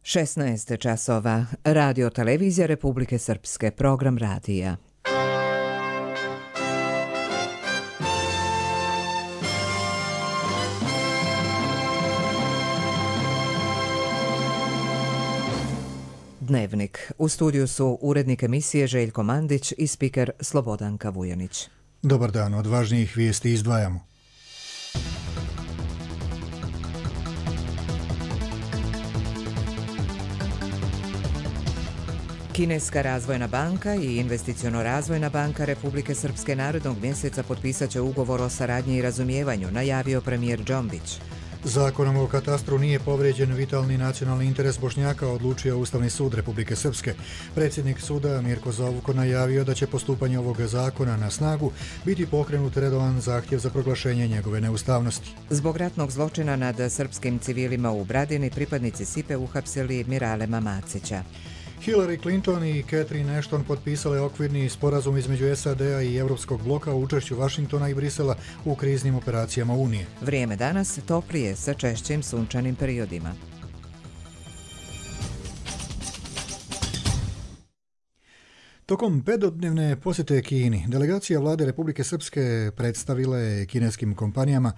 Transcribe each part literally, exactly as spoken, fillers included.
šesnaest časova. Radio televizija Republike Srpske. Program radija. Dnevnik. U studiju su urednik emisije Željko Mandić i spiker Slobodanka Vujanić. Dobar dan, od važnijih vijesti izdvajamo. Kineska razvojna banka i investiciono-razvojna banka Republike Srpske narednog mjeseca potpisat će ugovor o saradnji i razumijevanju, najavio premijer Džombić. Zakonom o katastru nije povrijeđen vitalni nacionalni interes Bošnjaka, odlučio Ustavni sud Republike Srpske. Predsjednik suda Mirko Zovuko najavio da će postupanje ovog zakona na snagu biti pokrenut redovan zahtjev za proglašenje njegove neustavnosti. Zbog ratnog zločina nad srpskim civilima u Bradini pripadnici Sipe uhapsili Miralema Macića. Hillary Clinton i Catherine Ashton potpisale okvirni sporazum između S A D-a i Europskog bloka u učešću Vašingtona i Brisela u kriznim operacijama Unije. Vrijeme danas toplije sa češćim sunčanim periodima. Tokom petodnevne posjete Kini, delegacija vlade Republike Srpske predstavila je kineskim kompanijama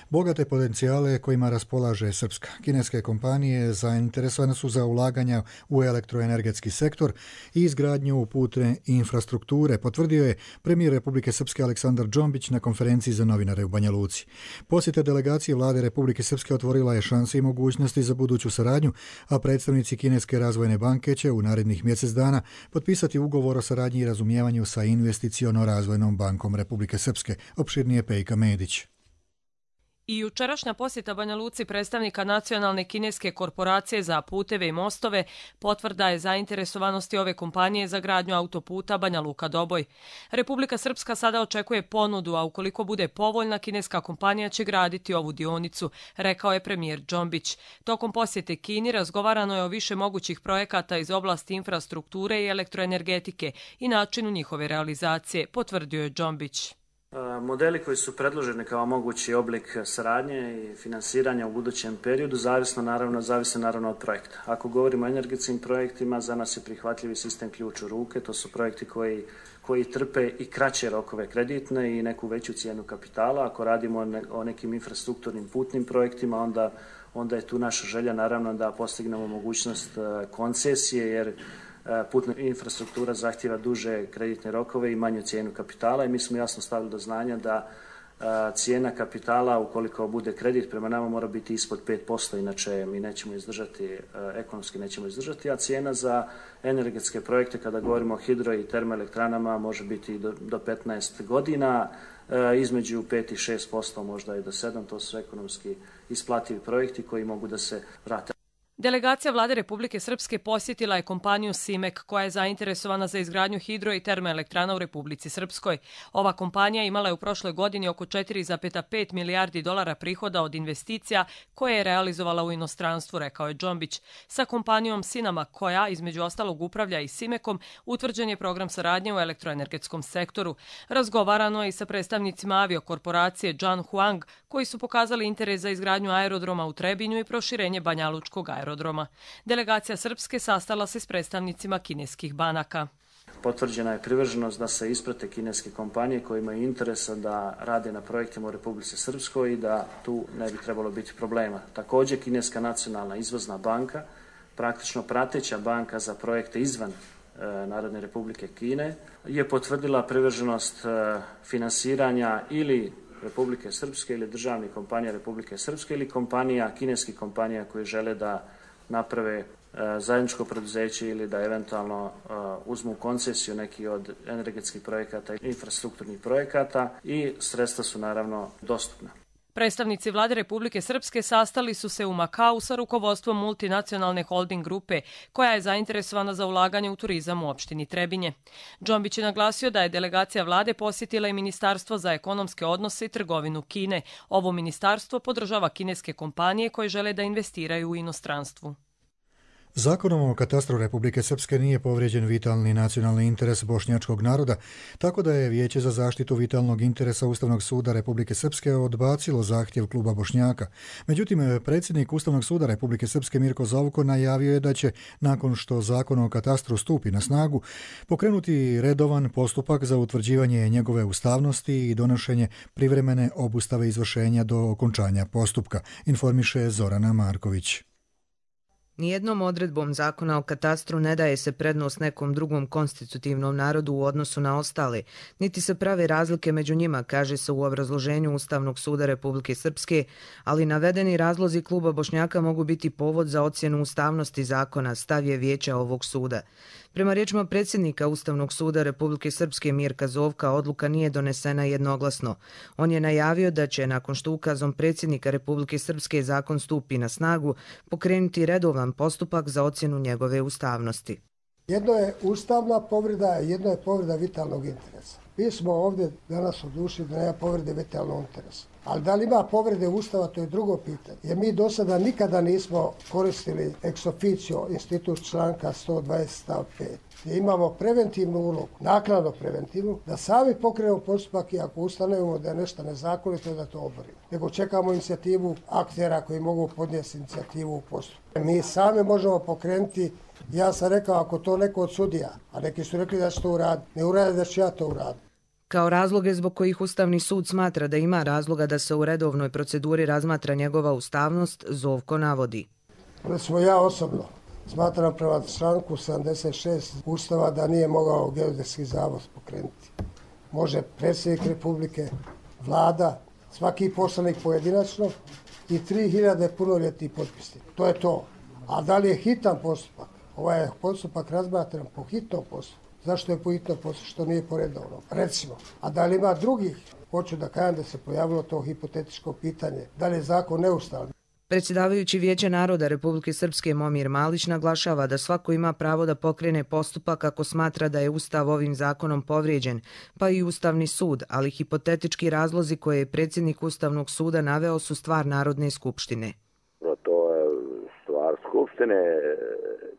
bogate potencijale kojima raspolaže Srpska. Kineske kompanije zainteresovane su za ulaganja u elektroenergetski sektor i izgradnju putne infrastrukture, potvrdio je premijer Republike Srpske Aleksandar Džombić na konferenciji za novinare u Banja Luci. Posjeta delegacije vlade Republike Srpske otvorila je šanse i mogućnosti za buduću saradnju, a predstavnici Kineske razvojne banke će u narednih mjesec dana potpisati ugovor o saradnji i razumijevanju sa investiciono-razvojnom bankom Republike Srpske, opširnije Pejka Medić. I jučerašnja posjeta Banja Luci predstavnika nacionalne kineske korporacije za puteve i mostove potvrda je zainteresovanosti ove kompanije za gradnju autoputa Banja Luka-Doboj. Republika Srpska sada očekuje ponudu, a ukoliko bude povoljna, kineska kompanija će graditi ovu dionicu, rekao je premijer Džombić. Tokom posjete Kini razgovarano je o više mogućih projekata iz oblasti infrastrukture i elektroenergetike i načinu njihove realizacije, potvrdio je Džombić. Modeli koji su predloženi kao mogući oblik saradnje i finansiranja u budućem periodu zavisno naravno, zavise naravno od projekta. Ako govorimo o energetskim projektima, za nas je prihvatljivi sistem ključ u ruke. To su projekti koji, koji trpe i kraće rokove kreditne i neku veću cijenu kapitala. Ako radimo o nekim infrastrukturnim putnim projektima, onda, onda je tu naša želja naravno da postignemo mogućnost koncesije, jer putna infrastruktura zahtjeva duže kreditne rokove i manju cijenu kapitala i mi smo jasno stavili do znanja da cijena kapitala, ukoliko bude kredit prema nama, mora biti ispod pet posto, inače mi nećemo izdržati, ekonomski nećemo izdržati, a cijena za energetske projekte, kada govorimo o hidro i termoelektranama, može biti do, do petnaest godina, između pet i šest posto, možda i do sedam, to su ekonomski isplativi projekti koji mogu da se vrate. Delegacija vlade Republike Srpske posjetila je kompaniju Simek, koja je zainteresovana za izgradnju hidro i termoelektrana u Republici Srpskoj. Ova kompanija imala je u prošloj godini oko četiri zarez pet milijardi dolara prihoda od investicija koje je realizovala u inostranstvu, rekao je Džombić. Sa kompanijom Sinama, koja između ostalog upravlja i Simekom, utvrđen je program saradnje u elektroenergetskom sektoru. Razgovarano je i sa predstavnicima aviokorporacije Zhan Huang, koji su pokazali interes za izgradnju aerodroma u Trebinju i proširenje banjalučkog aerodroma. aerodroma. Delegacija Srpske sastala se s predstavnicima kineskih banaka. Potvrđena je privrženost da se isprate kineske kompanije koje imaju interesa da rade na projektima u Republici Srpskoj i da tu ne bi trebalo biti problema. Također, Kineska nacionalna izvozna banka, praktično prateća banka za projekte izvan e, Narodne Republike Kine, je potvrdila privrženost e, finansiranja ili Republike Srpske ili državnih kompanija Republike Srpske ili kompanija, kineskih kompanija koje žele da naprave e, zajedničko preduzeće ili da eventualno e, uzmu koncesiju neki od energetskih projekata i infrastrukturnih projekata i sredstva su naravno dostupna. Predstavnici vlade Republike Srpske sastali su se u Makau sa rukovodstvom multinacionalne holding grupe, koja je zainteresovana za ulaganje u turizam u opštini Trebinje. Džombić je naglasio da je delegacija vlade posjetila i Ministarstvo za ekonomske odnose i trgovinu Kine. Ovo ministarstvo podržava kineske kompanije koje žele da investiraju u inostranstvu. Zakonom o katastru Republike Srpske nije povrijeđen vitalni nacionalni interes bošnjačkog naroda, tako da je Vijeće za zaštitu vitalnog interesa Ustavnog suda Republike Srpske odbacilo zahtjev kluba Bošnjaka. Međutim, predsjednik Ustavnog suda Republike Srpske Mirko Zovko najavio je da će, nakon što Zakon o katastru stupi na snagu, pokrenuti redovan postupak za utvrđivanje njegove ustavnosti i donošenje privremene obustave izvršenja do okončanja postupka, informiše Zorana Marković. Nijednom odredbom zakona o katastru ne daje se prednost nekom drugom konstitutivnom narodu u odnosu na ostale, niti se prave razlike među njima, kaže se u obrazloženju Ustavnog suda Republike Srpske, ali navedeni razlozi kluba Bošnjaka mogu biti povod za ocjenu ustavnosti zakona, stav je vijeća ovog suda. Prema riječima predsjednika Ustavnog suda Republike Srpske Mirka Zovka, odluka nije donesena jednoglasno. On je najavio da će, nakon što ukazom predsjednika Republike Srpske zakon stupi na snagu, pokrenuti redovan postupak za ocjenu njegove ustavnosti. Jedno je ustavna povreda, jedno je povreda vitalnog interesa. Mi smo ovdje danas odlučili da nema povrede vitalnog interesa. Ali da li ima povrede Ustava, to je drugo pitanje. Jer mi do sada nikada nismo koristili ex officio institut članka sto dvadeset stav pet. Gdje imamo preventivnu ulogu, naknadno preventivnu, da sami pokrenemo postupak i ako ustanovimo da je nešto nezakonito, da to oborimo. Nego čekamo inicijativu aktera koji mogu podnijeti inicijativu u postupku. Mi sami možemo pokrenuti. Ja sam rekao, ako to neko od sudija, a neki su rekli da će to uraditi, ne urade da će ja to uraditi. Kao razloge zbog kojih Ustavni sud smatra da ima razloga da se u redovnoj proceduri razmatra njegova ustavnost, Zovko navodi. Recimo ja osobno smatram prema članku sedamdeset šest Ustava da nije mogao Geodetski zavod pokrenuti. Može predsjednik Republike, vlada, svaki poslanik pojedinačno i tri hiljade punoljetnih potpisnika. To je to. A da li je hitan postupak? Ovaj je postupak razmatran po hitnom postupku. Zašto je po hitnom postupku? Što nije po redovnom? Recimo. A da li ima drugih? Hoću da kažem da se pojavilo to hipotetičko pitanje. Da li je zakon neustavan? Predsjedavajući Vijeće naroda Republike Srpske Momir Malić naglašava da svako ima pravo da pokrene postupak ako smatra da je Ustav ovim zakonom povrijeđen, pa i Ustavni sud, ali hipotetički razlozi koje je predsjednik Ustavnog suda naveo su stvar Narodne skupštine. To je stvar Skupštine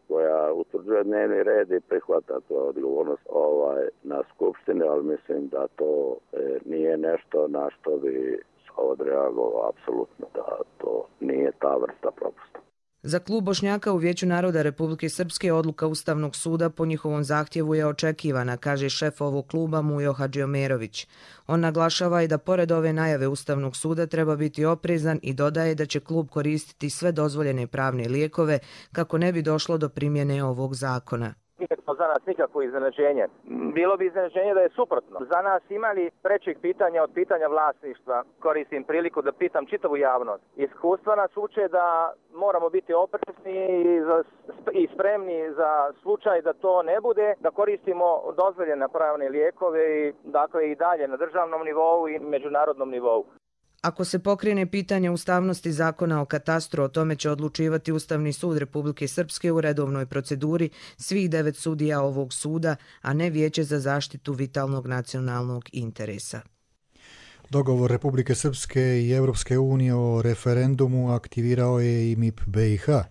koja utvrđuje dnevni red i prihvata to odgovornost ovaj, na Skupštini, ali mislim da to e, nije nešto na što bi odreagovao apsolutno, da to nije ta vrsta propusta. Za klub Bošnjaka u Vijeću naroda Republike Srpske odluka Ustavnog suda po njihovom zahtjevu je očekivana, kaže šef ovog kluba Mujo Hadžiomerović. On naglašava i da pored ove najave Ustavnog suda treba biti oprezan i dodaje da će klub koristiti sve dozvoljene pravne lijekove kako ne bi došlo do primjene ovog zakona. Nikakvo za nas nikakvo iznenađenje. Bilo bi iznenađenje da je suprotno. Za nas imali prečeg pitanja od pitanja vlasništva. Koristim priliku da pitam čitavu javnost. Iskustva nas uče da moramo biti oprezni i spremni za slučaj da to ne bude, da koristimo dozvoljene pravne lijekove i dakle i dalje na državnom nivou i međunarodnom nivou. Ako se pokrene pitanje ustavnosti zakona o katastru, o tome će odlučivati Ustavni sud Republike Srpske u redovnoj proceduri svih devet sudija ovog suda, a ne Vijeće za zaštitu vitalnog nacionalnog interesa. Dogovor Republike Srpske i Europske unije o referendumu aktivirao je i M I P B i H.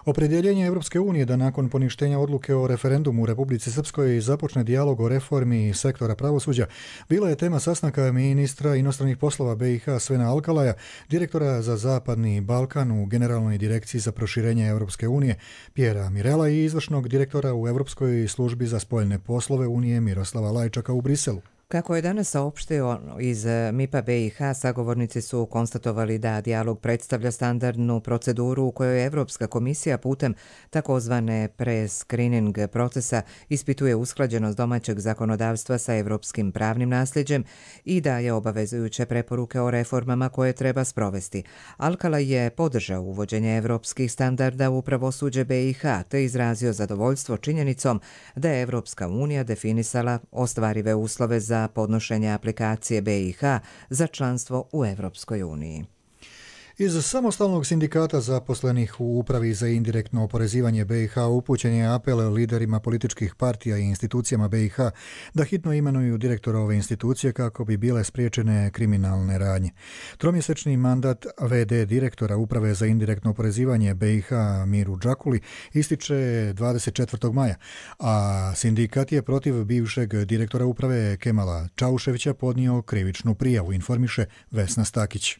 Opredjeljenje Europske unije da nakon poništenja odluke o referendumu u Republici Srpskoj započne dijalog o reformi sektora pravosuđa bila je tema sastanka ministra inostranih poslova B i H Svena Alkalaja, direktora za Zapadni Balkan u Generalnoj direkciji za proširenje Europske unije Pjera Mirela i izvršnog direktora u Europskoj službi za spoljne poslove Unije Miroslava Lajčaka u Briselu. Kako je danas saopštio iz M I P-a B i H, sagovornici su konstatovali da dijalog predstavlja standardnu proceduru u kojoj Evropska komisija putem takozvane pre-screening procesa ispituje usklađenost domaćeg zakonodavstva sa evropskim pravnim nasljeđem i daje obavezujuće preporuke o reformama koje treba sprovesti. Alkala je podržao uvođenje evropskih standarda u pravosuđe B i H te izrazio zadovoljstvo činjenicom da je Evropska unija definisala ostvarive uslove za podnošenje aplikacije B i H za članstvo u Evropskoj uniji. Iz samostalnog sindikata zaposlenih u Upravi za indirektno oporezivanje B i H upućen je apel liderima političkih partija i institucijama B i H da hitno imenuju direktora ove institucije kako bi bile spriječene kriminalne radnje. Tromjesečni mandat V D direktora Uprave za indirektno oporezivanje B i H Miru Džakuli ističe dvadeset četvrtog maja, a sindikat je protiv bivšeg direktora uprave Kemala Čauševića podnio krivičnu prijavu, informiše Vesna Stakić.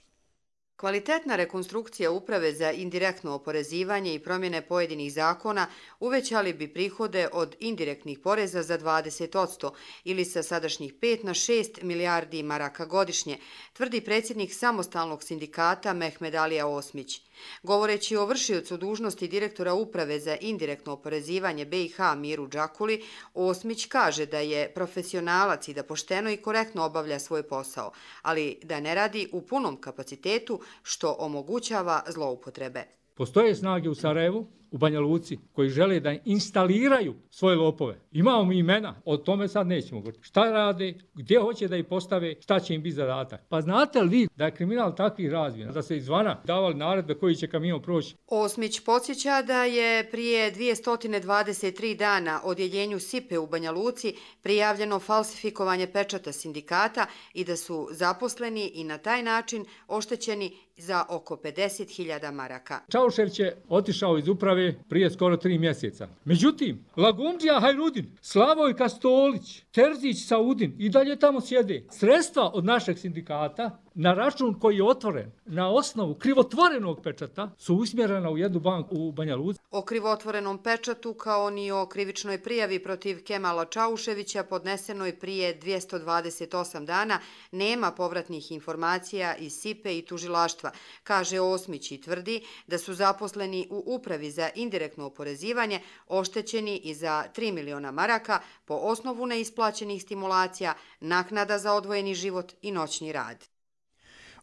Kvalitetna rekonstrukcija Uprave za indirektno oporezivanje i promjene pojedinih zakona uvećali bi prihode od indirektnih poreza za dvadeset posto ili sa sadašnjih pet na šest milijardi maraka godišnje, tvrdi predsjednik samostalnog sindikata Mehmed Alija Osmić. Govoreći o vršiocu dužnosti direktora Uprave za indirektno oporezivanje B i H Miru Džakuli, Osmić kaže da je profesionalac i da pošteno i korektno obavlja svoj posao, ali da ne radi u punom kapacitetu što omogućava zloupotrebe. Postoje snage u Sarajevu, u Banja Luci, koji žele da instaliraju svoje lopove. Imamo mi imena, o tome sad nećemo govoriti. Šta rade, gdje hoće da ih postave, šta će im biti zadatak. Pa znate li vi da je kriminal takvih razmjera, da se izvana davali naredbe koji će kamion proći? Osmić podsjeća da je prije dvjesto dvadeset tri dana odjeljenju Sipe u Banja Luci prijavljeno falsifikovanje pečata sindikata i da su zaposleni i na taj način oštećeni za oko pedeset hiljada maraka. Čaušević je otišao iz uprave prije skoro tri mjeseca. Međutim, Lagundžija Hajrudin, Slavoj Kastolić, Terzić Saudin i dalje tamo sjede. Sredstva od našeg sindikata na račun koji je otvoren na osnovu krivotvorenog pečata su usmjerena u jednu banku u Banja Luci. O krivotvorenom pečatu kao ni o krivičnoj prijavi protiv Kemala Čauševića podnesenoj prije dvjesto dvadeset osam dana nema povratnih informacija iz Sipe i tužilaštva, kaže Osmić i tvrdi da su zaposleni u Upravi za indirektno oporezivanje oštećeni i za tri miliona maraka po osnovu neisplaćenih stimulacija, naknada za odvojeni život i noćni rad.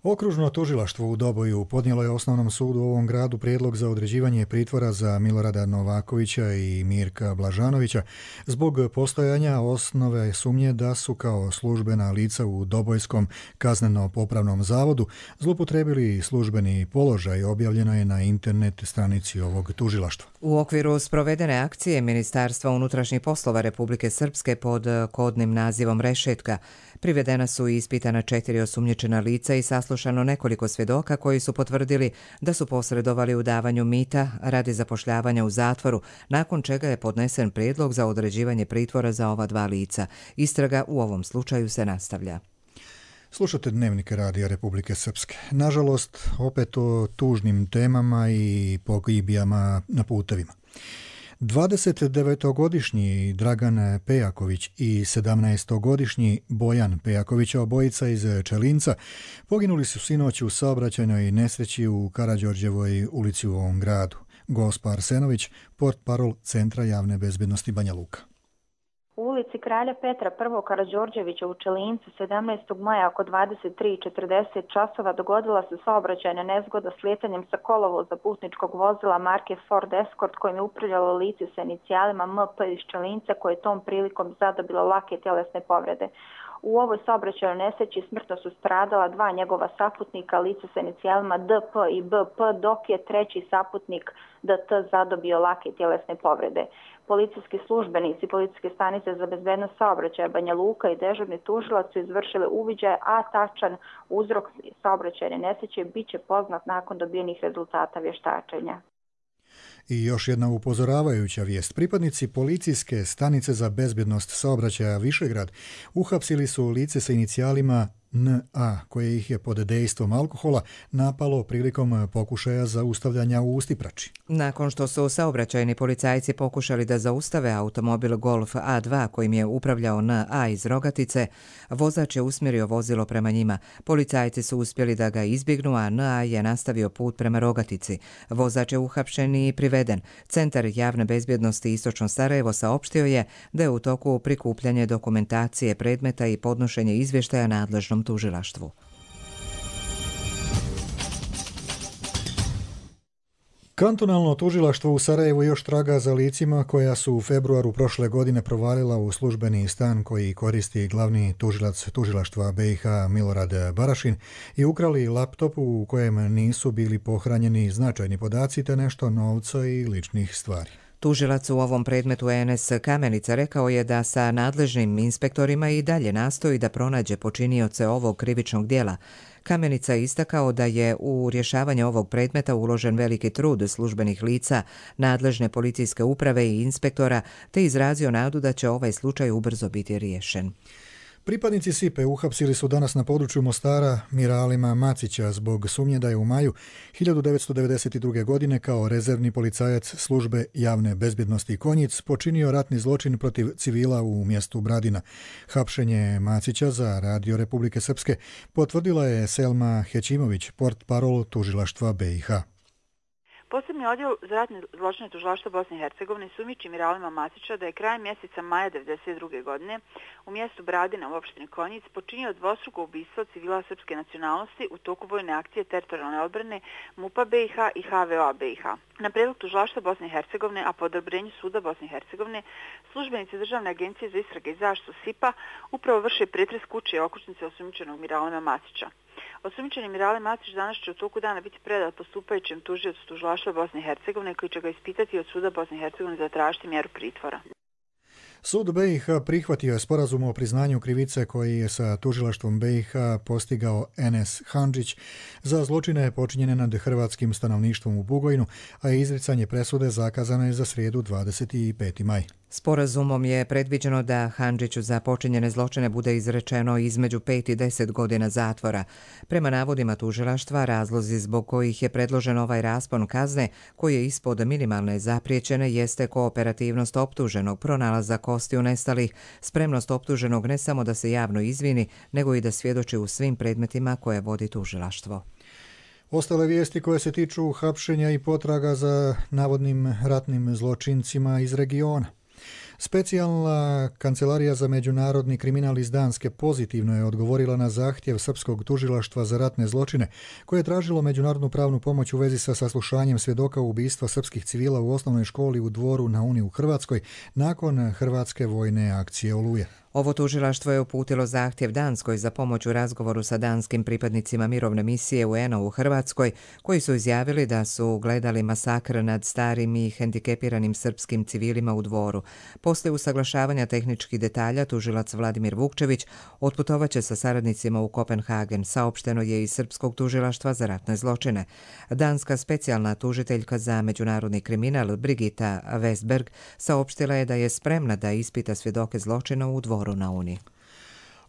Okružno tužilaštvo u Doboju podnijelo je Osnovnom sudu u ovom gradu prijedlog za određivanje pritvora za Milorada Novakovića i Mirka Blažanovića zbog postojanja osnove sumnje da su kao službena lica u Dobojskom kazneno-popravnom zavodu zloupotrijebili službeni položaj, objavljeno je na internet stranici ovog tužilaštva. U okviru sprovedene akcije Ministarstva unutrašnjih poslova Republike Srpske pod kodnim nazivom Rešetka privedena su i ispitana četiri osumnjičena lica i saslušano nekoliko svjedoka koji su potvrdili da su posredovali u davanju mita radi zapošljavanja u zatvoru, nakon čega je podnesen prijedlog za određivanje pritvora za ova dva lica. Istraga u ovom slučaju se nastavlja. Slušate Dnevnik Radija Republike Srpske. Nažalost, opet o tužnim temama i pogibijama na putevima. dvadesetdevetogodišnji Dragan Pejaković i sedamnaestogodišnji Bojan Pejaković, obojica iz Čelinca, poginuli su sinoć u saobraćajnoj nesreći u Karađorđevoj ulici u ovom gradu. Gospa Arsenović, portparol Centra javne bezbednosti Banja Luka. U ulici Kralja Petra I. Karađorđevića u Čelincu sedamnaestog maja oko dvadeset tri i četrdeset časova dogodila se saobraćajna nezgoda slijetanjem sa kolovoza putničkog vozila marke Ford Escort kojim je upravljalo lice sa inicijalima M P iz Čelinca koje je tom prilikom zadobilo lake tjelesne povrede. U ovoj saobraćajnoj nesreći smrtno su stradala dva njegova saputnika, lice sa inicijalima D P i B P, dok je treći saputnik D T zadobio lake tjelesne povrede. Policijski službenici Policijske stanice za bezbednost saobraćaja Banja Luka i dežurni tužilac su izvršili uviđaj, a tačan uzrok saobraćajne nesreće bit će poznat nakon dobijenih rezultata vještačenja. I još jedna upozoravajuća vijest. Pripadnici Policijske stanice za bezbjednost saobraćaja Višegrad uhapsili su lice sa inicijalima N A, koje ih je pod dejstvom alkohola napalo prilikom pokušaja zaustavljanja u Ustiprači. Nakon što su saobraćajni policajci pokušali da zaustave automobil Golf A dva kojim je upravljao N A iz Rogatice, vozač je usmjerio vozilo prema njima. Policajci su uspjeli da ga izbjegnu, a N A je nastavio put prema Rogatici. Vozač je uhapšen i priveden. Centar javne bezbjednosti Istočno Sarajevo saopštio je da je u toku prikupljanje dokumentacije predmeta i podnošenje izvještaja nadležnom tužilaštvu. Kantonalno tužilaštvo u Sarajevu još traga za licima koja su u februaru prošle godine provalila u službeni stan koji koristi glavni tužilac tužilaštva B i H Milorad Barašin i ukrali laptop u kojem nisu bili pohranjeni značajni podaci te nešto novca i ličnih stvari. Tužilac u ovom predmetu Enes Kamenica rekao je da sa nadležnim inspektorima i dalje nastoji da pronađe počinioce ovog krivičnog djela. Kamenica je istakao da je u rješavanje ovog predmeta uložen veliki trud službenih lica, nadležne policijske uprave i inspektora, te izrazio nadu da će ovaj slučaj ubrzo biti riješen. Pripadnici Sipe uhapsili su danas na području Mostara Miralima Macića zbog sumnje da je u maju hiljadu devetsto devedeset druge. godine kao rezervni policajac službe javne bezbjednosti Konjic počinio ratni zločin protiv civila u mjestu Bradina. Hapšenje Macića za Radio Republike Srpske potvrdila je Selma Hećimović, portparol tužilaštva B i H. Posebni odjel za ratne zločine tužilaštva Bosne i Hercegovine sumnjiči Miralima Macića da je krajem mjeseca maja devedeset druge. godine u mjestu Bradina u opštini Konjic počinio dvostruko ubistvo civila srpske nacionalnosti u toku vojne akcije teritorijalne odbrane MUP-a B i H i H V O-a B i H. Na prijedlog tužilaštva Bosne i Hercegovine, a po odobrenju suda Bosne i Hercegovine, službenici Državne agencije za istrage i zaštitu S I P-a upravo vrše pretres kuće i okućnice osumnjičenog Miralima Macića. Osumnjičeni Mirale Macić danas će u toku dana biti predat postupajućem tužiocu tužilaštva Bosne i Hercegovine koji će ga ispitati od suda Bosne i Hercegovine zatražiti mjeru pritvora. Sud B i H prihvatio je sporazum o priznanju krivice koji je sa tužilaštvom B i H postigao Enes Handžić za zločine počinjene nad hrvatskim stanovništvom u Bugojnu, a izricanje presude zakazano je za srijedu dvadeset peti maj. Sporazumom je predviđeno da Handžiću za počinjene zločine bude izrečeno između pet i deset godina zatvora. Prema navodima tužilaštva, razlozi zbog kojih je predložen ovaj raspon kazne, koji je ispod minimalne zapriječene, jeste kooperativnost optuženog, pronalazak kostiju nestalih, spremnost optuženog ne samo da se javno izvini, nego i da svjedoči u svim predmetima koje vodi tužilaštvo. Ostale vijesti koje se tiču hapšenja i potraga za navodnim ratnim zločincima iz regiona. Specijalna kancelarija za međunarodni kriminal iz Danske pozitivno je odgovorila na zahtjev srpskog tužilaštva za ratne zločine, koje je tražilo međunarodnu pravnu pomoć u vezi sa saslušanjem svjedoka ubistva srpskih civila u osnovnoj školi u Dvoru na Uni u Hrvatskoj nakon hrvatske vojne akcije Oluje. Ovo tužilaštvo je uputilo zahtjev Danskoj za pomoć u razgovoru sa danskim pripadnicima mirovne misije U N-a u Hrvatskoj, koji su izjavili da su gledali masakr nad starim i hendikepiranim srpskim civilima u Dvoru. Poslije usaglašavanja tehničkih detalja, tužilac Vladimir Vukčević otputovaće sa saradnicima u Kopenhagen, saopšteno je iz Srpskog tužilaštva za ratne zločine. Danska specijalna tužiteljka za međunarodni kriminal Brigita Westberg saopštila je da je spremna da ispita svjedoke zločina u Dvoru na Uni.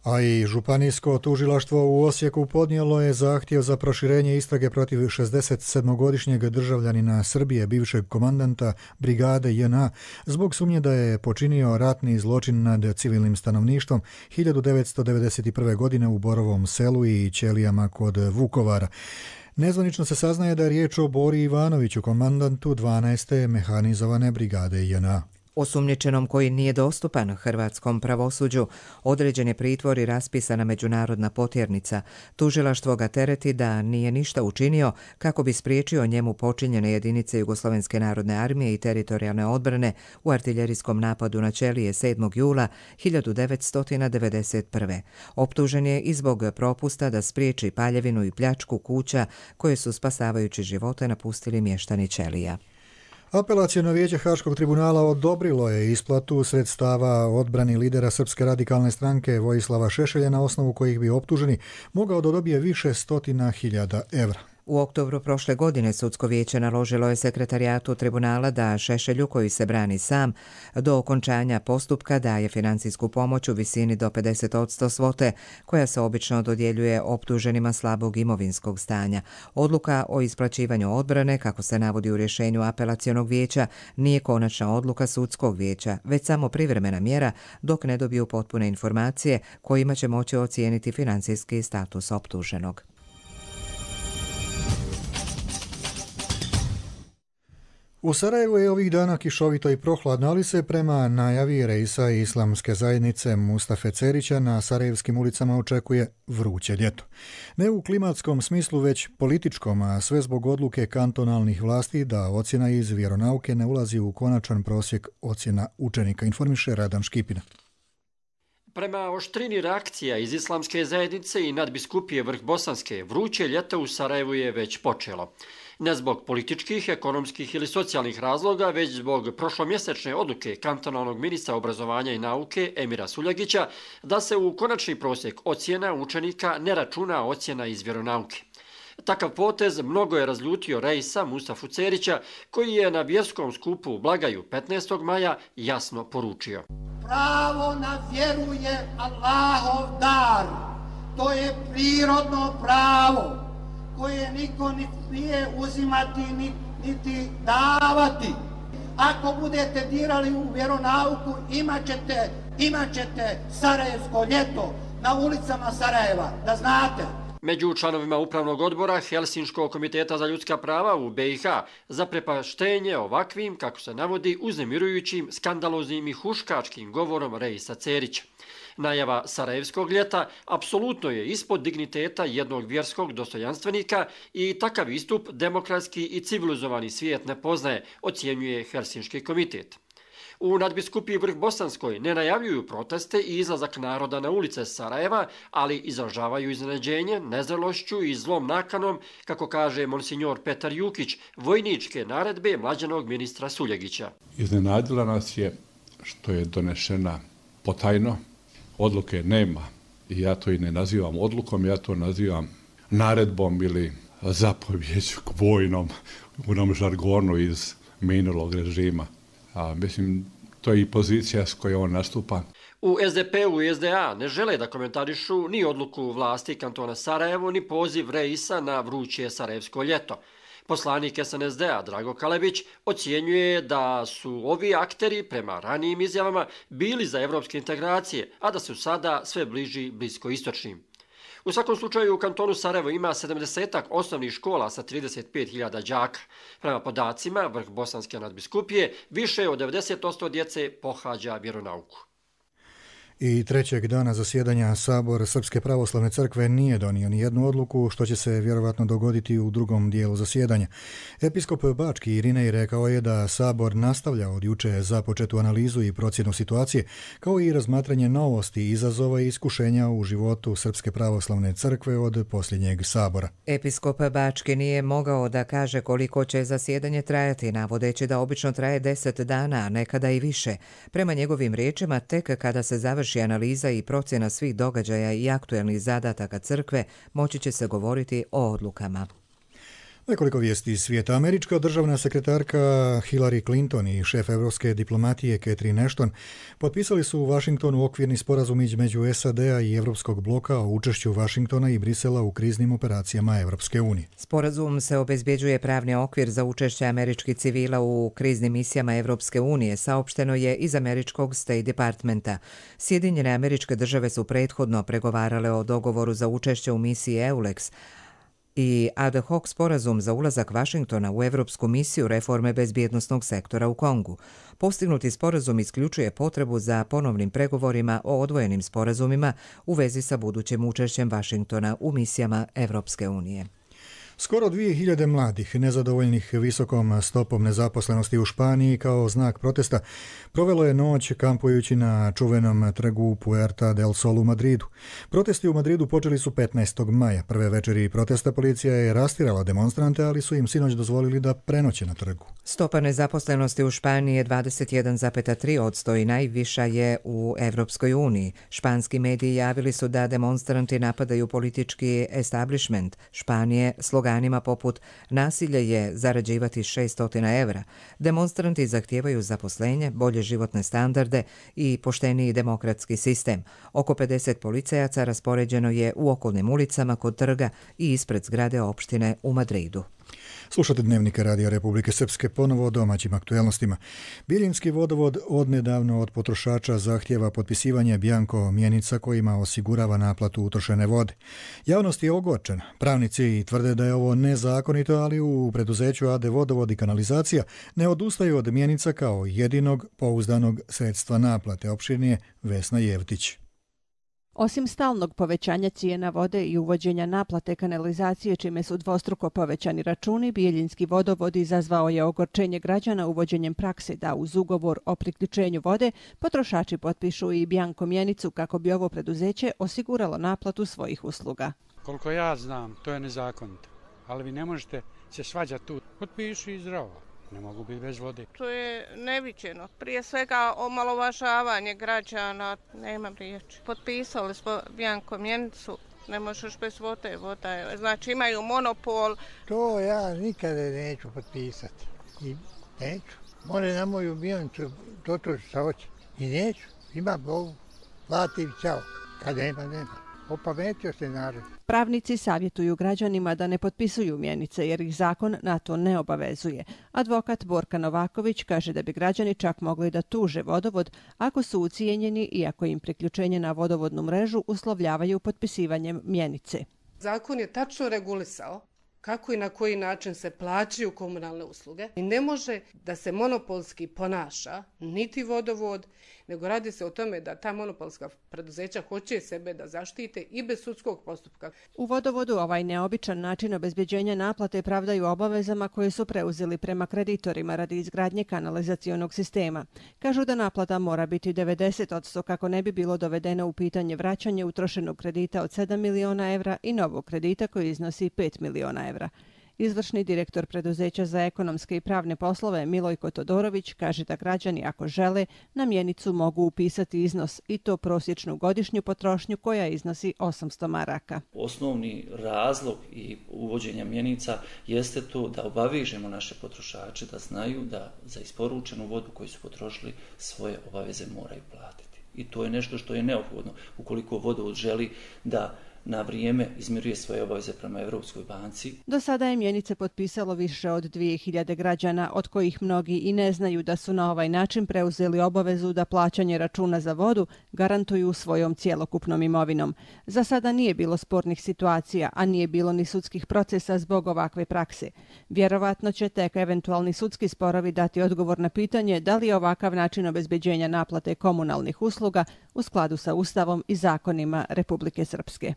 A i županijsko tužilaštvo u Osijeku podnijelo je zahtjev za proširenje istrage protiv šezdesetsedmogodišnjeg državljanina Srbije, bivšeg komandanta brigade J N A, zbog sumnje da je počinio ratni zločin nad civilnim stanovništvom hiljadu devetsto devedeset prve. godine u Borovom selu i Ćelijama kod Vukovara. Nezvanično se saznaje da je riječ o Bori Ivanoviću, komandantu dvanaeste mehanizovane brigade J N A. Osumnjičenom koji nije dostupan hrvatskom pravosuđu određen je pritvor i raspisana međunarodna potjernica. Tužilaštvo ga tereti da nije ništa učinio kako bi spriječio njemu počinjene jedinice Jugoslovenske narodne armije i teritorijalne odbrane u artiljerijskom napadu na Ćelije sedmog jula hiljadu devetsto devedeset prve. Optužen je i zbog propusta da spriječi paljevinu i pljačku kuća koje su spasavajući živote napustili mještani Ćelija. Apelaciono vijeće Haškog tribunala odobrilo je isplatu sredstava odbrani lidera Srpske radikalne stranke Vojislava Šešelja na osnovu kojih bi optuženi mogao da dobije više stotina hiljada evra. U oktobru prošle godine sudsko vijeće naložilo je sekretarijatu tribunala da Šešelju, koji se brani sam, do okončanja postupka daje financijsku pomoć u visini do pedeset posto svote koja se obično dodjeljuje optuženima slabog imovinskog stanja. Odluka o isplaćivanju odbrane, kako se navodi u rješenju apelacionog vijeća, nije konačna odluka sudskog vijeća, već samo privremena mjera dok ne dobiju potpune informacije kojima će moći ocijeniti financijski status optuženog. U Sarajevu je ovih dana kišovito i prohladno, ali se prema najavi Reisa Islamske zajednice Mustafe Cerića na sarajevskim ulicama očekuje vruće ljeto. Ne u klimatskom smislu, već političkom, a sve zbog odluke kantonalnih vlasti da ocjena iz vjeronauke ne ulazi u konačan prosjek ocjena učenika, informiše Radan Škipina. Prema oštrini reakcija iz Islamske zajednice i nadbiskupije Vrhbosanske, vruće ljeto u Sarajevu je već počelo. Ne zbog političkih, ekonomskih ili socijalnih razloga, već zbog prošlomjesečne odluke kantonalnog ministra obrazovanja i nauke Emira Suljagića da se u konačni prosjek ocjena učenika ne računa ocjena iz vjeronauke. Takav potez mnogo je razljutio Reisa Mustafu Cerića, koji je na vjerskom skupu u Blagaju petnaestog maja jasno poručio. Pravo na vjeru je Allahov dar. To je prirodno pravo koje niko nije uzimati niti davati. Ako budete dirali u vjeronauku, imat ćete, imat ćete sarajevsko ljeto na ulicama Sarajeva, da znate. Među članovima upravnog odbora Helsinškog komiteta za ljudska prava u be i ha zaprepaštenje ovakvim, kako se navodi, uznemirujućim, skandaloznim i huškačkim govorom Reisa Cerića. Najava sarajevskog ljeta apsolutno je ispod digniteta jednog vjerskog dostojanstvenika i takav istup demokratski i civilizovani svijet ne poznaje, ocjenjuje Helsinški komitet. U nadbiskupiji Vrhbosanskoj ne najavljuju proteste i izlazak naroda na ulice Sarajeva, ali izražavaju iznenađenje, nezrelošću i zlom nakanom, kako kaže monsignor Petar Jukić, vojničke naredbe mlađenog ministra Suljegića. Iznenadila nas je što je donešena potajno, odluke nema i ja to i ne nazivam odlukom, ja to nazivam naredbom ili zapovjeđu vojnom u onom žargonu iz minulog režima. A, mislim, to je i pozicija s kojom on nastupa. U es de pe u i es de a ne žele da komentarišu ni odluku vlasti kantona Sarajevo, ni poziv Reisa na vruće sarajevsko ljeto. Poslanik es en es de a Drago Kalebić ocjenjuje da su ovi akteri prema ranijim izjavama bili za evropske integracije, a da su sada sve bliži bliskoistočnim. U svakom slučaju u kantonu Sarajevo ima sedamdesetak osnovnih škola sa trideset pet hiljada đaka. Prema podacima Vrhbosanske nadbiskupije, više od devedeset posto djece pohađa vjeronauku. I trećeg dana zasjedanja Sabor Srpske pravoslavne crkve nije donio ni jednu odluku, što će se vjerovatno dogoditi u drugom dijelu zasjedanja. Episkop Bački Irinej rekao je da Sabor nastavlja od juče započetu analizu i procjenu situacije, kao i razmatranje novosti, izazova i iskušenja u životu Srpske pravoslavne crkve od posljednjeg Sabora. Episkop Bački nije mogao da kaže koliko će zasjedanje trajati, navodeći da obično traje deset dana, a nekada i više. Prema njegovim riječima, tek kada se završi analiza i procjena svih događaja i aktuelnih zadataka crkve, moći će se govoriti o odlukama. Nekoliko vijesti iz svijeta. Američka državna sekretarka Hillary Clinton i šef evropske diplomatije Catherine Ashton potpisali su u Vašingtonu okvirni sporazum između es a de a i Evropskog bloka o učešću Vašingtona i Brisela u kriznim operacijama Evropske unije. Sporazum se obezbjeđuje pravni okvir za učešće američkih civila u kriznim misijama Evropske unije, saopšteno je iz američkog State Departmenta. Sjedinjene američke države su prethodno pregovarale o dogovoru za učešće u misiji EULEX, i ad hoc sporazum za ulazak Vašingtona u Evropsku misiju reforme bezbjednosnog sektora u Kongu. Postignuti sporazum isključuje potrebu za ponovnim pregovorima o odvojenim sporazumima u vezi sa budućim učešćem Vašingtona u misijama Evropske unije. Skoro dvije hiljade mladih nezadovoljnih visokom stopom nezaposlenosti u Španiji kao znak protesta provelo je noć kampujući na čuvenom trgu Puerta del Sol u Madridu. Protesti u Madridu počeli su petnaestog maja. Prve večeri protesta policija je rastirala demonstrante, ali su im sinoć dozvolili da prenoće na trgu. Stopa nezaposlenosti u Španiji je dvadeset jedan zarez tri posto i najviša je u Evropskoj uniji. Španski mediji javili su da demonstranti napadaju politički establishment Španije sloganima poput nasilje je zarađivati šesto evra. Demonstranti zahtijevaju zaposlenje, bolje životne standarde i pošteniji demokratski sistem. Oko pedeset policajaca raspoređeno je u okolnim ulicama kod trga i ispred zgrade opštine u Madridu. Slušate Dnevnike Radija Republike Srpske, ponovo o domaćim aktuelnostima. Bijeljinski vodovod odnedavno od potrošača zahtjeva potpisivanje bjanko mjenica kojima osigurava naplatu utrošene vode. Javnost je ogorčena. Pravnici tvrde da je ovo nezakonito, ali u preduzeću A D Vodovod i kanalizacija ne odustaju od mjenica kao jedinog pouzdanog sredstva naplate. Opširnije Vesna Jevtić. Osim stalnog povećanja cijena vode i uvođenja naplate kanalizacije, čime su dvostruko povećani računi, Bijeljinski vodovod izazvao je ogorčenje građana uvođenjem prakse da uz ugovor o priključenju vode potrošači potpišu i bjanko mjenicu kako bi ovo preduzeće osiguralo naplatu svojih usluga. Koliko ja znam, to je nezakonito, ali vi ne možete se svađati tu. Potpiši i zdravo. Ne mogu biti bez vode. To je neviđeno. Prije svega omalovažavanje građana, nemam riječi. Potpisali smo bjanko mjenicu, ne možeš bez vode, voda je. Znači imaju monopol. To ja nikada neću potpisati. I neću. More na moju mjenicu, to to što hoće. I neću. Ima Bogu. Platim, čao. Kad nema, nema. Opametio se narod. Pravnici savjetuju građanima da ne potpisuju mjenice jer ih zakon na to ne obavezuje. Advokat Borka Novaković kaže da bi građani čak mogli da tuže vodovod ako su ucijenjeni i ako im priključenje na vodovodnu mrežu uslovljavaju potpisivanjem mjenice. Zakon je tačno regulisao kako i na koji način se plaćaju komunalne usluge i ne može da se monopolski ponaša niti vodovod, nego radi se o tome da ta monopolska preduzeća hoće sebe da zaštite i bez sudskog postupka. U vodovodu ovaj neobičan način obezbeđenja naplate pravdaju obavezama koje su preuzeli prema kreditorima radi izgradnje kanalizacionog sistema. Kažu da naplata mora biti devedeset posto kako ne bi bilo dovedeno u pitanje vraćanje utrošenog kredita od sedam miliona evra i novog kredita koji iznosi pet miliona evra. Izvršni direktor preduzeća za ekonomske i pravne poslove Milojko Todorović kaže da građani ako žele na mjenicu mogu upisati iznos i to prosječnu godišnju potrošnju koja iznosi osamsto maraka. Osnovni razlog i uvođenja mjenica jeste to da obavežemo naše potrošače da znaju da za isporučenu vodu koju su potrošili svoje obaveze moraju platiti. I to je nešto što je neophodno ukoliko vodovod želi da na vrijeme izmiruje svoje obaveze prema Europskoj banci. Do sada je mjenice potpisalo više od dvije hiljade građana, od kojih mnogi i ne znaju da su na ovaj način preuzeli obavezu da plaćanje računa za vodu garantuju svojom cjelokupnom imovinom. Za sada nije bilo spornih situacija, a nije bilo ni sudskih procesa zbog ovakve prakse. Vjerovatno će tek eventualni sudski sporovi dati odgovor na pitanje da li je ovakav način obezbeđenja naplate komunalnih usluga u skladu sa Ustavom i zakonima Republike Srpske.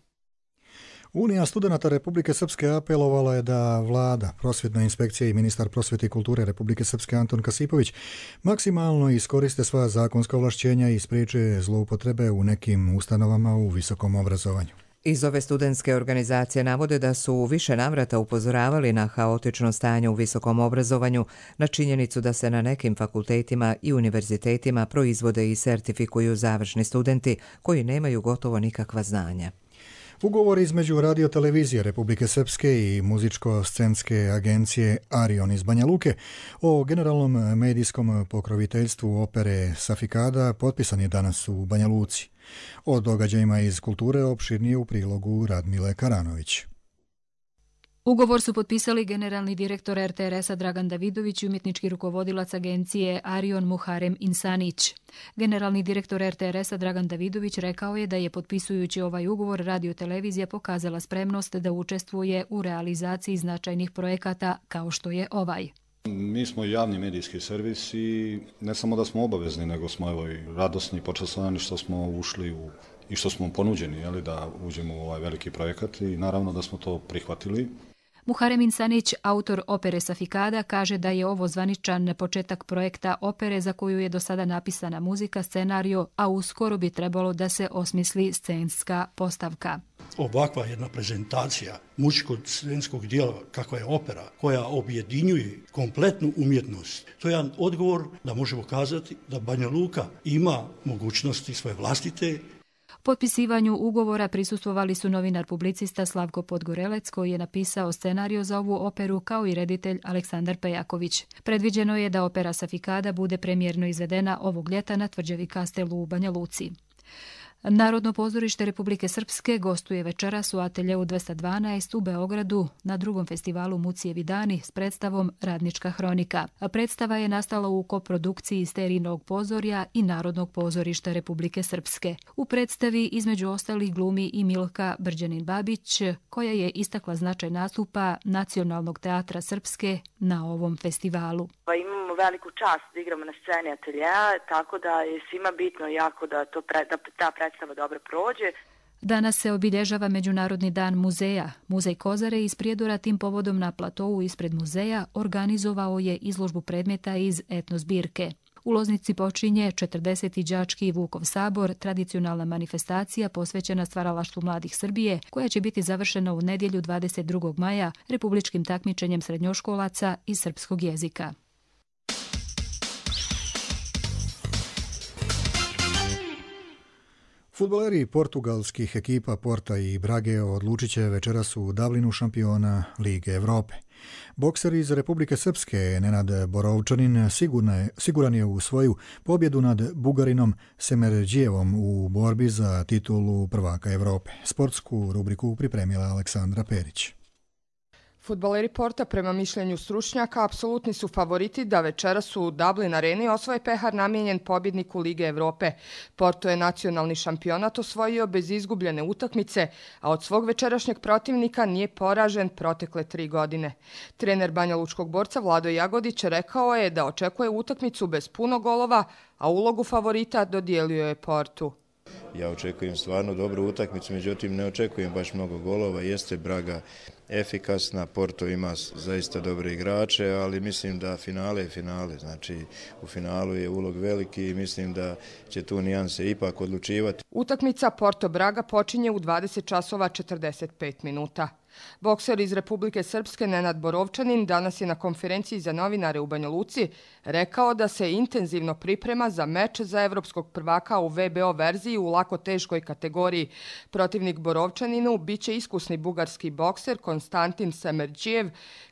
Unija studenata Republike Srpske apelovala je da vlada, prosvjetna inspekcija i ministar prosvjete i kulture Republike Srpske Anton Kasipović maksimalno iskoriste sva zakonska ovlašćenja i spriječe zloupotrebe u nekim ustanovama u visokom obrazovanju. Iz ove studentske organizacije navode da su u više navrata upozoravali na haotično stanje u visokom obrazovanju, na činjenicu da se na nekim fakultetima i univerzitetima proizvode i sertifikuju završni studenti koji nemaju gotovo nikakva znanja. Ugovor između radiotelevizije Republike Srpske i muzičko-scenske agencije Arion iz Banja Luke o generalnom medijskom pokroviteljstvu opere Safikada potpisan je danas u Banja Luci. O događajima iz kulture opširnije u prilogu Radmile Karanović. Ugovor su potpisali generalni direktor R T R S-a Dragan Davidović i umjetnički rukovodilac agencije Arion Muharem Insanić. Generalni direktor R T R S-a Dragan Davidović rekao je da je potpisujući ovaj ugovor radiotelevizija pokazala spremnost da učestvuje u realizaciji značajnih projekata kao što je ovaj. Mi smo javni medijski servis i ne samo da smo obavezni, nego smo evo i radosni i počastvovani što smo ušli u, i što smo ponuđeni jeli, da uđemo u ovaj veliki projekat i naravno da smo to prihvatili. Muharem Insanić, autor opere Safikada, kaže da je ovo zvaničan početak projekta opere za koju je do sada napisana muzika, scenario, a uskoro bi trebalo da se osmisli scenska postavka. Ovakva jedna prezentacija muzičko-scenskog dijela kakva je opera, koja objedinjuje kompletnu umjetnost, to je jedan odgovor da možemo kazati da Banja Luka ima mogućnosti svoje vlastite. Potpisivanju ugovora prisustvovali su novinar publicista Slavko Podgorelec koji je napisao scenario za ovu operu kao i reditelj Aleksandar Pejaković. Predviđeno je da opera Safikada bude premijerno izvedena ovog ljeta na tvrđavi Kastelu u Banja Luci. Narodno pozorište Republike Srpske gostuje večeras u ateljeu dvesta dvanaest u Beogradu na drugom festivalu Mucijevi dani s predstavom Radnička hronika. Predstava je nastala u koprodukciji Sterinog pozorja i Narodnog pozorišta Republike Srpske. U predstavi između ostalih glumi i Milka Brđanin-Babić, koja je istakla značaj nastupa Nacionalnog teatra Srpske na ovom festivalu. Pa imamo veliku čast da igramo na sceni ateljeja, tako da je svima bitno jako da, to pre, da ta predstava dobro prođe. Danas se obilježava Međunarodni dan muzeja. Muzej Kozare iz Prijedora tim povodom na platovu ispred muzeja organizovao je izložbu predmeta iz etnozbirke. U Loznici počinje četrdeseti đački Vukov sabor, tradicionalna manifestacija posvećena stvaralaštvu mladih Srbije, koja će biti završena u nedjelju dvadeset drugog maja republičkim takmičenjem srednjoškolaca iz srpskog jezika. Fudbaleri portugalskih ekipa Porta i Brage odlučit će večeras u Dublinu šampiona Lige Evrope. Bokser iz Republike Srpske Nenad Borovčanin siguran je u svoju pobjedu nad Bugarinom Semerđijevom u borbi za titulu prvaka Evrope. Sportsku rubriku pripremila Aleksandra Perić. Fudbaleri Porta, prema mišljenju stručnjaka, apsolutni su favoriti da večeras u Dublin areni osvoje pehar namijenjen pobjedniku Lige Evrope. Porto je nacionalni šampionat osvojio bez izgubljene utakmice, a od svog večerašnjeg protivnika nije poražen protekle tri godine. Trener banjalučkog borca Vlado Jagodić rekao je da očekuje utakmicu bez puno golova, a ulogu favorita dodijelio je Portu. Ja očekujem stvarno dobru utakmicu, međutim ne očekujem baš mnogo golova. Jeste Braga efikasna, Porto ima zaista dobre igrače, ali mislim da finale je finale. Znači u finalu je ulog veliki i mislim da će tu nijanse ipak odlučivati. Utakmica Porto-Braga počinje u dvadeset časova četrdeset pet minuta. Bokser iz Republike Srpske Nenad Borovčanin danas je na konferenciji za novinare u Banja Luci rekao da se intenzivno priprema za meč za evropskog prvaka u V B O verziji u lako teškoj kategoriji. Protivnik Borovčaninu biće iskusni bugarski bokser Konstantin Semerđijev,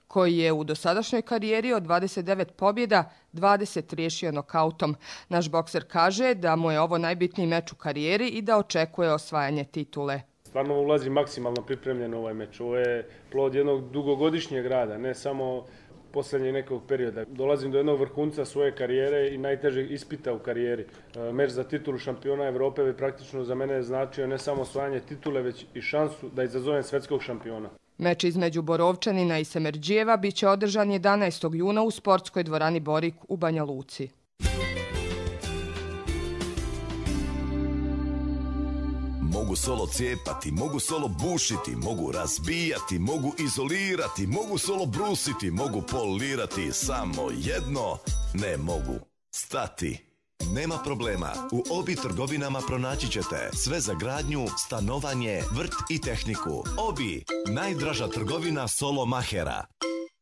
koji je u dosadašnjoj karijeri od dvadeset devet pobjeda dvadeset riješio nokautom. Naš bokser kaže da mu je ovo najbitniji meč u karijeri i da očekuje osvajanje titule. Stvarno ulazi maksimalno pripremljen ovaj meč. Ovo je plod jednog dugogodišnjeg rada, ne samo posljednjeg nekog perioda. Dolazim do jednog vrhunca svoje karijere i najtežeg ispita u karijeri. Meč za titulu šampiona Evrope bi praktično za mene značio ne samo osvajanje titule, već i šansu da izazovem svetskog šampiona. Meč između Borovčanina i Semerđijeva biće održan jedanaestog juna u sportskoj dvorani Borik u Banja Luci. Mogu solo cijepati, mogu solo bušiti, mogu razbijati, mogu izolirati, mogu solo brusiti, mogu polirati, samo jedno ne mogu stati. Nema problema, u Obi trgovinama pronaći ćete sve za gradnju, stanovanje, vrt i tehniku. Obi, najdraža trgovina solo mahera.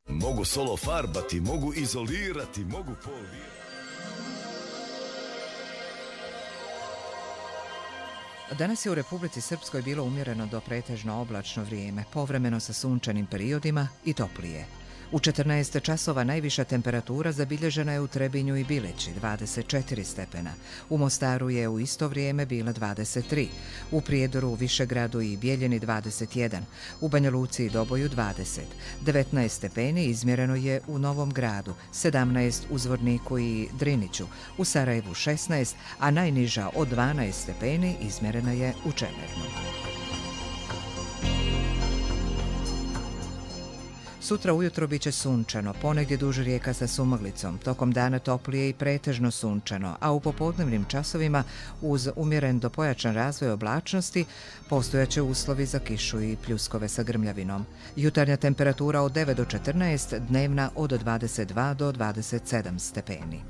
Mogu solo farbati, mogu izolirati, mogu polirati. Danas je u Republici Srpskoj bilo umjereno do pretežno oblačno vrijeme, povremeno sa sunčanim periodima i toplije. U četrnaest časova najviša temperatura zabilježena je u Trebinju i Bileći, dvadeset četiri stepena. U Mostaru je u isto vrijeme bila dvadeset tri, u Prijedoru, Višegradu i Bijeljini dvadeset jedan, u Banja Luci i Doboju dvadeset, devetnaest stepeni izmjereno je u Novom Gradu, sedamnaest u Zvorniku i Driniću, u Sarajevu šesnaest, a najniža od dvanaest stepeni izmjerena je u Čemernu. Sutra ujutro biće sunčano, ponegdje duž rijeka sa sumaglicom, tokom dana toplije i pretežno sunčano, a u popodnevnim časovima uz umjeren do pojačan razvoj oblačnosti postojaće uslovi za kišu i pljuskove sa grmljavinom. Jutarnja temperatura od devet do četrnaest, dnevna od dvadeset dva do dvadeset sedam stepeni.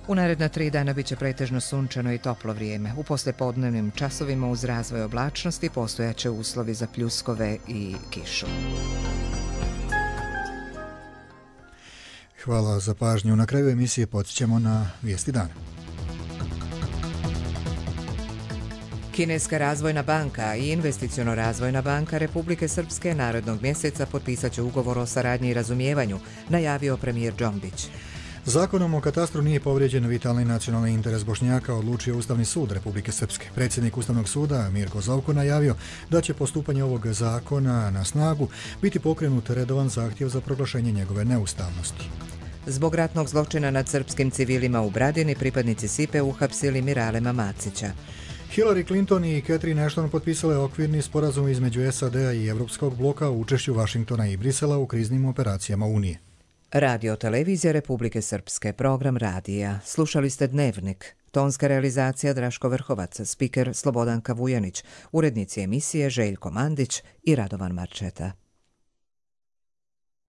U naredna tri dana biće pretežno sunčano i toplo vrijeme. U poslijepodnevnim časovima uz razvoj oblačnosti postojaće uslovi za pljuskove i kišu. Hvala za pažnju. Na kraju emisije podsjećamo na vijesti dana. Kineska razvojna banka i investiciono razvojna banka Republike Srpske narednog mjeseca potpisat će ugovor o saradnji i razumijevanju, najavio premijer Džombić. Zakonom o katastru nije povrijeđen vitalni nacionalni interes Bošnjaka, odlučio Ustavni sud Republike Srpske. Predsjednik Ustavnog suda Mirko Zovko najavio da će postupanje ovog zakona na snagu biti pokrenut redovan zahtjev za proglašenje njegove neustavnosti. Zbog ratnog zločina nad srpskim civilima u Bradini, pripadnici S I P E uhapsili Miralema Macića. Hillary Clinton i Catherine Ashton potpisale okvirni sporazum između S A D-a i Evropskog bloka u učešću Vašingtona i Brisela u kriznim operacijama Unije. Radio Televizija Republike Srpske, program radija. Slušali ste Dnevnik. Tonska realizacija Draško Vrhovac, spiker Slobodanka Vujanić, urednici emisije Željko Mandić i Radovan Marčeta.